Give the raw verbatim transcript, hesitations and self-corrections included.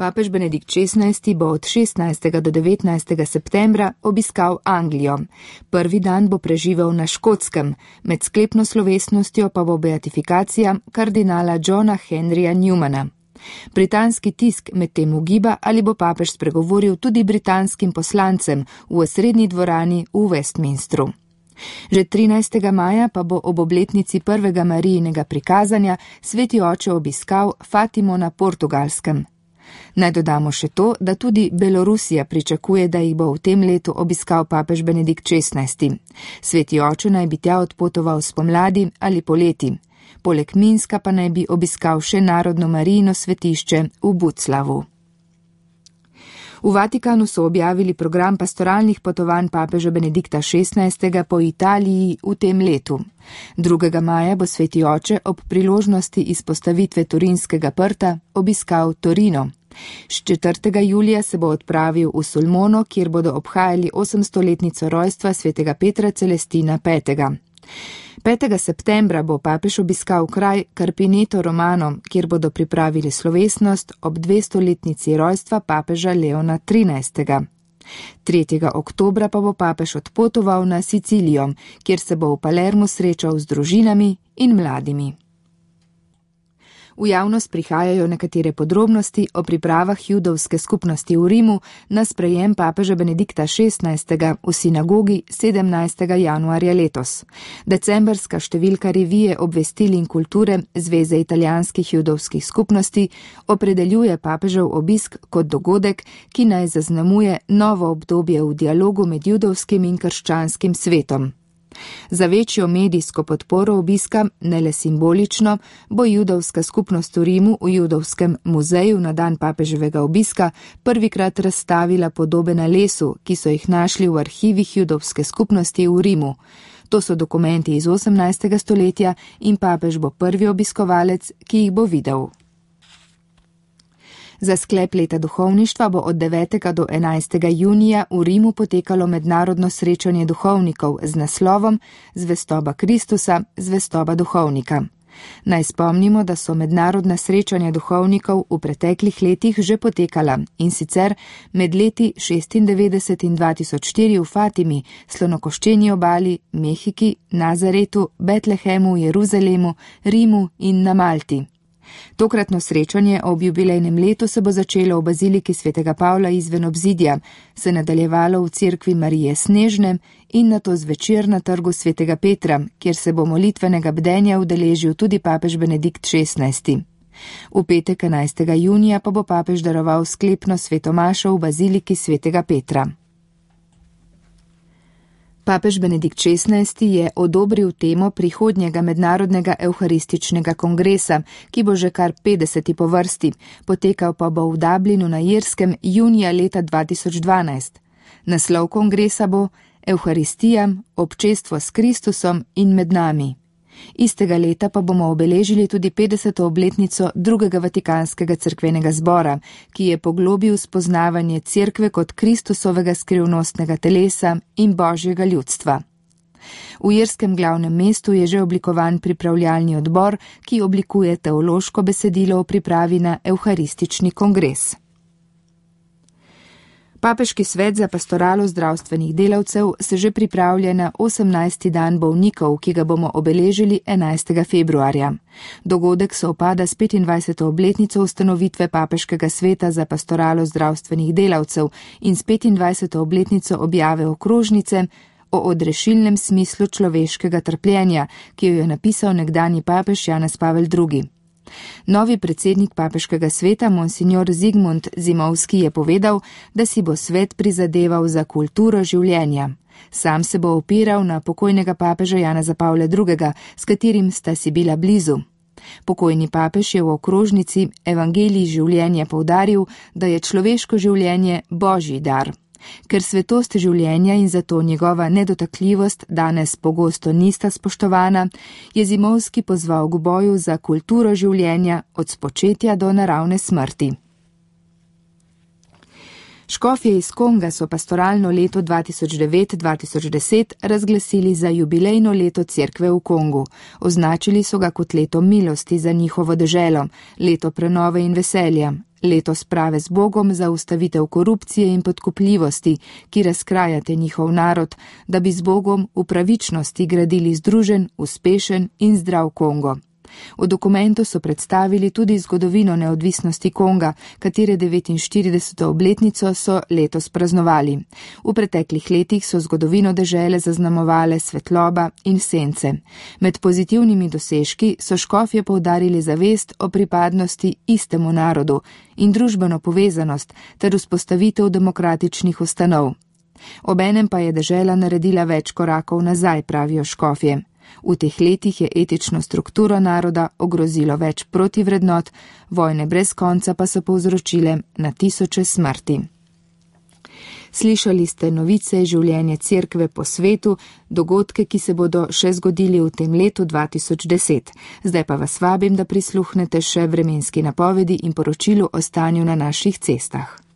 Papež Benedikt šestnajsti bo od šestnajstega do devetnajstega septembra obiskal Anglijo. Prvi dan bo preživel na Škotskem, med sklepno slovesnostjo pa bo beatifikacija kardinala Johna Henryja Newmana. Britanski tisk medtem ugiba, ali bo papež spregovoril tudi britanskim poslancem v osrednji dvorani v Westminstru. Že trinajstega maja pa bo ob obletnici prvega Marijinega prikazanja sveti oče obiskal Fatimo na Portugalskem. Naj dodamo še to, da tudi Belorusija pričakuje, da jih bo v tem letu obiskal papež Benedikt šestnajsti. Sveti oče naj bi tja odpotoval spomladi ali poleti. Poleg Minska pa naj bi obiskal še Narodno Marijino svetišče v Buclavu. V Vatikanu so objavili program pastoralnih potovanj papeža Benedikta šestnajstega po Italiji v tem letu. drugega maja bo sveti oče ob priložnosti izpostavitve Turinskega prta obiskal Torino. četrtega julija se bo odpravil v Sulmono, kjer bodo obhajali osemstoletnico rojstva svetega Petra Celestina petega. petega septembra bo papež obiskal kraj Carpineto Romano, kjer bodo pripravili slovesnost ob dvestoletnici rojstva papeža Leona trinajstega. tretjega oktobra pa bo papež odpotoval na Sicilijo, kjer se bo v Palermu srečal z družinami in mladimi. V javnost prihajajo nekatere podrobnosti o pripravah judovske skupnosti v Rimu na sprejem papeža Benedikta šestnajstega v sinagogi sedemnajstega januarja letos. Decembrska številka revije Obvestil in kulture Zveze italijanskih judovskih skupnosti opredeljuje papežev obisk kot dogodek, ki naj zaznamuje novo obdobje v dialogu med judovskim in krščanskim svetom. Za večjo medijsko podporo obiska, ne le simbolično, bo judovska skupnost v Rimu v Judovskem muzeju na dan papeževega obiska prvikrat razstavila podobe na lesu, ki so jih našli v arhivih judovske skupnosti v Rimu. To so dokumenti iz osemnajstega stoletja in papež bo prvi obiskovalec, ki jih bo videl. Za sklep leta duhovništva bo od devetega do enajstega junija v Rimu potekalo mednarodno srečanje duhovnikov z naslovom Zvestoba Kristusa, zvestoba duhovnika. Naj spomnimo, da so mednarodna srečanja duhovnikov v preteklih letih že potekala, in sicer med leti šestindevetdeset in dva tisoč štiri v Fatimi, Slonokoščeni obali, Mehiki, Nazaretu, Betlehemu, Jeruzalemu, Rimu in na Malti. Tokratno srečanje ob jubilejnem letu se bo začelo v baziliki svetega Pavla izven obzidja, se nadaljevalo v cerkvi Marije Snežne in nato zvečer na trgu svetega Petra, kjer se bo molitvenega bdenja udeležil tudi papež Benedikt šestnajsti. V petek enajstega junija pa bo papež daroval sklepno svetomašo v baziliki svetega Petra. Papež Benedikt šestnajsti je odobril temo prihodnjega mednarodnega evharističnega kongresa, ki bo že kar petdeseti po vrsti, potekal pa bo v Dublinu na Irskem junija leta dva tisoč dvanajst. Naslov kongresa bo Evharistija, občestvo s Kristusom in med nami. Istega leta pa bomo obeležili tudi petdeseto obletnico drugega Vatikanskega cerkvenega zbora, ki je poglobil spoznavanje cerkve kot Kristusovega skrivnostnega telesa in božjega ljudstva. V irskem glavnem mestu je že oblikovan pripravljalni odbor, ki oblikuje teološko besedilo o pripravi na evharistični kongres. Papeški svet za pastoralo zdravstvenih delavcev se že pripravlja na osemnajsti dan bolnikov, ki ga bomo obeležili enajstega februarja. Dogodek sovpada s petindvajseto obletnico ustanovitve Papeškega sveta za pastoralo zdravstvenih delavcev in s petindvajseto obletnico objave okrožnice o odrešilnem smislu človeškega trpljenja, ki jo je napisal nekdanji papež Janez Pavel drugi. Novi predsednik Papeškega sveta, monsignor Zigmund Zimovski, je povedal, da si bo svet prizadeval za kulturo življenja. Sam se bo opiral na pokojnega papeža Janeza Pavla drugega, s katerim sta si bila blizu. Pokojni papež je v okrožnici Evangelij življenja poudaril, da je človeško življenje božji dar. Ker svetost življenja in zato njegova nedotakljivost danes pogosto nista spoštovana, je Zimovski pozval k boju za kulturo življenja od spočetja do naravne smrti. Škofje iz Konga so pastoralno leto dva tisoč devet dva tisoč deset razglasili za jubilejno leto cerkve v Kongu. Označili so ga kot leto milosti za njihovo deželo, leto prenove in veselja, leto sprave z Bogom za ustavitev korupcije in podkupljivosti, ki razkrajate njihov narod, da bi z Bogom v pravičnosti gradili združen, uspešen in zdrav Kongo. V dokumentu so predstavili tudi zgodovino neodvisnosti Konga, katere devetinštirideseto obletnico so letos praznovali. V preteklih letih so zgodovino dežele zaznamovale svetloba in sence. Med pozitivnimi dosežki so škofje poudarili zavest o pripadnosti istemu narodu in družbeno povezanost ter vzpostavitev demokratičnih ustanov. Obenem pa je dežela naredila več korakov nazaj, pravijo škofje. V teh letih je etično strukturo naroda ogrozilo več protivrednot, vojne brez konca pa so povzročile na tisoče smrti. Slišali ste novice življenja cerkve po svetu, dogodke, ki se bodo še zgodili v tem letu dva tisoč deset. Zdaj pa vas vabim, da prisluhnete še vremenski napovedi in poročilu o stanju na naših cestah.